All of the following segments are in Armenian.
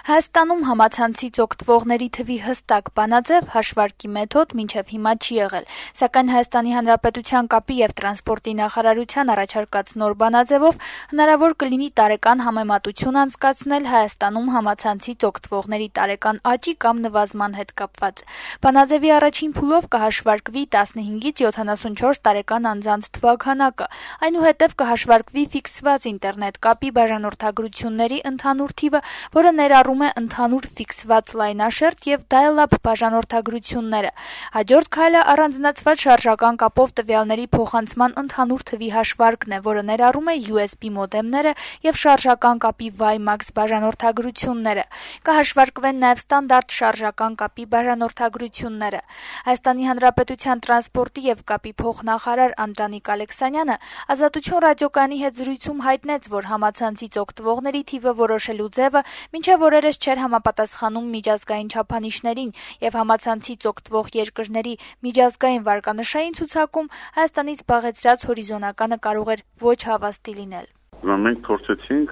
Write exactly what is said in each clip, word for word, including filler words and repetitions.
Հայաստանում համացանցից օգտվողների թվի հստակ բանաձև հաշվարկի մեթոդ մինչև հիմա չի եղել, սակայն Հայաստանի Հանրապետության կապի և տրանսպորտի նախարարության առաջարկած նոր բանաձևով հնարավոր կլինի տարեկան համեմատություն անցկացնել Հայաստանում համացանցից օգտվողների տարեկան աճի կամ նվազման հետ կապված։ Բանաձևի առաջին փուլով կհաշվարկվի տասնհինգից յոթանասունչորս տարեկան անձանց թվաքանակը, այնուհետև կհաշվարկվի ֆիքսված ինտերնետ կապի բաժանորդագրությունների ընդհանուր թիվը, որը ներառում է ընդհանուր ֆիքսված լայնաշերտ և dial-up բաժանորդագրությունները։ Հաջորդ քայլը առանձնացված շարժական կապով տվյալների փոխանցման ընդհանուր թվի հաշվարկն է, որը ներառում է յու էս բի մոդեմները և շարժական կապի WiMAX բաժանորդագրությունները։ Կհաշվարկվեն նաև ստանդարտ շարժական կապի բաժանորդագրությունները։ Հայաստանի Հանրապետության տրանսպորտի և կապի փոխնախարար Անդրանիկ Ալեքսանյանը Ազատություն ռադիոկայանի հետ զրույցում հայտնեց, որ համացանցից օգտվողների թիվը որոշելու ձևը մինչև օրերս չէր համապատասխանում միջազգային չափանիշներին, և համացանցից օգտվող երկրների միջազգային վարկանշային ցուցակում Հայաստանից զբաղեցրած հորիզոնականը կարող էր ոչ հավաստի լինել։ Մենք փորձեցինք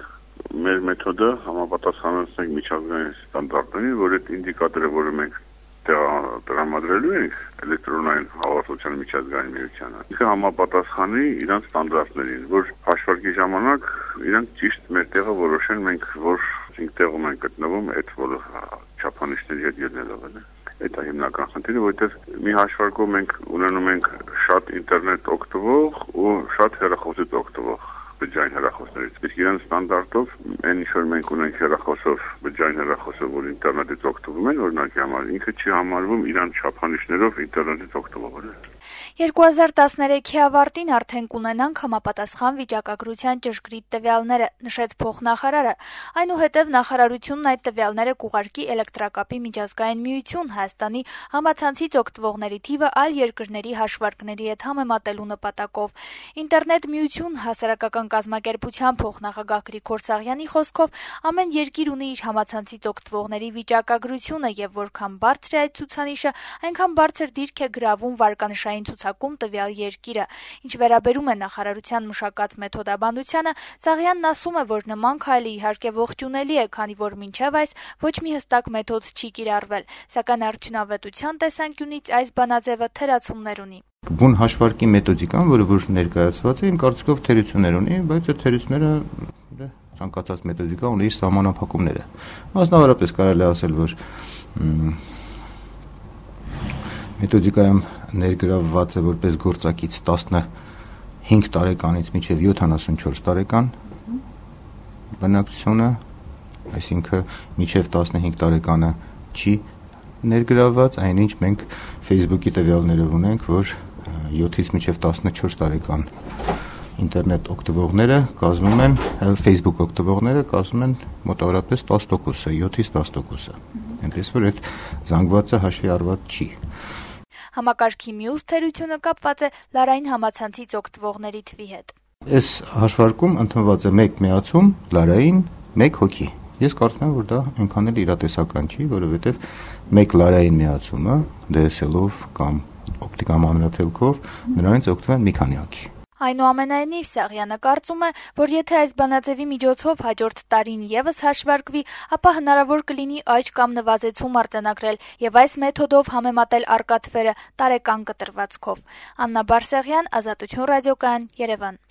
մեր մեթոդը համապատասխանեցնել միջազգային ստանդարտներին, որ այդ ինդիկատորը, որը մենք տրամադրելու ենք էլեկտրոնային հաղորդակցության միջազգային միությանը, ինքը համապատասխանի իրանց ստանդարտներին, որ հաշվարկի ժամանակ իրանք ճիշտ մեր տեղը որոշեն, մենք որ տեղում են գտնվում այդ բոլոր չափանիշների հետ ելնելով են։ Այդ է հիմնական խնդիրը, որովհետև մի հաշվարկով մենք ունենում ենք շատ ինտերնետ օգտվող ու շատ հեռախոսից օգտվող բջջային հեռախոսներից։ Իսկ իրենց ստանդարտով այն ինչ որ մենք ունենք հեռախոսով, բջջային հեռախոսով, որ ինտերնետից օգտվում են, օրինակի համար, ինքը չի համարվում իրան չափանիշներով ինտերնետից օգտվողը։ երկու հազար տասներեքի ավարտին արդեն կունենանք համապատասխան վիճակագրության ճշգրիտ տվյալները, նշեց փոխնախարարը։ Այնուհետև նախարարությունն այդ տվյալները կուղարկի էլեկտրակապի միջազգային միություն Հայաստանի համացանցից օգտվողների թիվը այլ երկրների հաշվարկների հետ համեմատելու նպատակով։ Ինտերնետ միություն հասարակական կազմակերպության փոխնախագահ Գրիգոր Սաղյանի խոսքով ամեն երկիր ունի իր համացանցից օգտվողների վիճակագրությունը, եւ որքան բարձր է այդ ցուցանիշը, այնքան բարձր դիրք է գրավում վարկանշային ցուցակում տվյալ երկիրը։ Ինչ վերաբերում է նախարարության մշակած մեթոդաբանությանը, Սաղյանն ասում է, որ նման քայլը իհարկե ողջունելի է, քանի որ մինչև այս ոչ մի հստակ մեթոդ չի կիրառվել, սակայն արդյունավետության տեսանկյունից այս բանաձևը թերացումներ ունի։ Բուն հաշվարկի մեթոդիկան, որը որ ներկայացված է, իմ կարծիքով թերություններ ունի, բայց այդ թերությունները ցանկացած մեթոդիկա ունի իր սահմանափակումները։ Մասնավորապես կարելի է ասել, որ մեթոդիկայում ներգրավված է որպես գործակից տասնհինգ տարեկանից մինչև յոթանասունչորս տարեկան բնակչությունը, այսինքն մինչև տասնհինգ տարեկանը չի ներգրավված, այնինչ մենք Facebook-ի տվյալներով ունենք, որ յոթից մինչև տասնչորս տարեկան ինտերնետ օգտվողները կազմում են, Facebook օգտվողները կազմում են մոտավորապես տասը տոկոսը, յոթից տասը տոկոսը։ Այնպես որ այդ զանգվածը հաշվի առված չի։ Համակարգի մյուս թերությունը կապված է լարային համացանցից օգտվողների թվի հետ։ Այս հաշվարկում ընդունված է մեկ միացում լարային մեկ հոգի։ Ես կարծում եմ, որ դա այնքան էլ իրատեսական չի, որովհետև մեկ լարային միացումը դե էս էլ-ով կամ օպտիկական մանրաթելքով նրանից օգտվում են մի քանի հոգի։ Այնուամենայնիվ Սաղյանը կարծում է, որ եթե այս բանաձևի միջոցով հաջորդ տարին ևս հաշվարկվի, ապա հնարավոր կլինի աճ կամ նվազեցում արձանագրել եւ այս մեթոդով համեմատել առկա թվերը տարեկան կտրվածքով։ Աննա Բարսեղյան, Ազատություն ռադիոկայան, Երևան։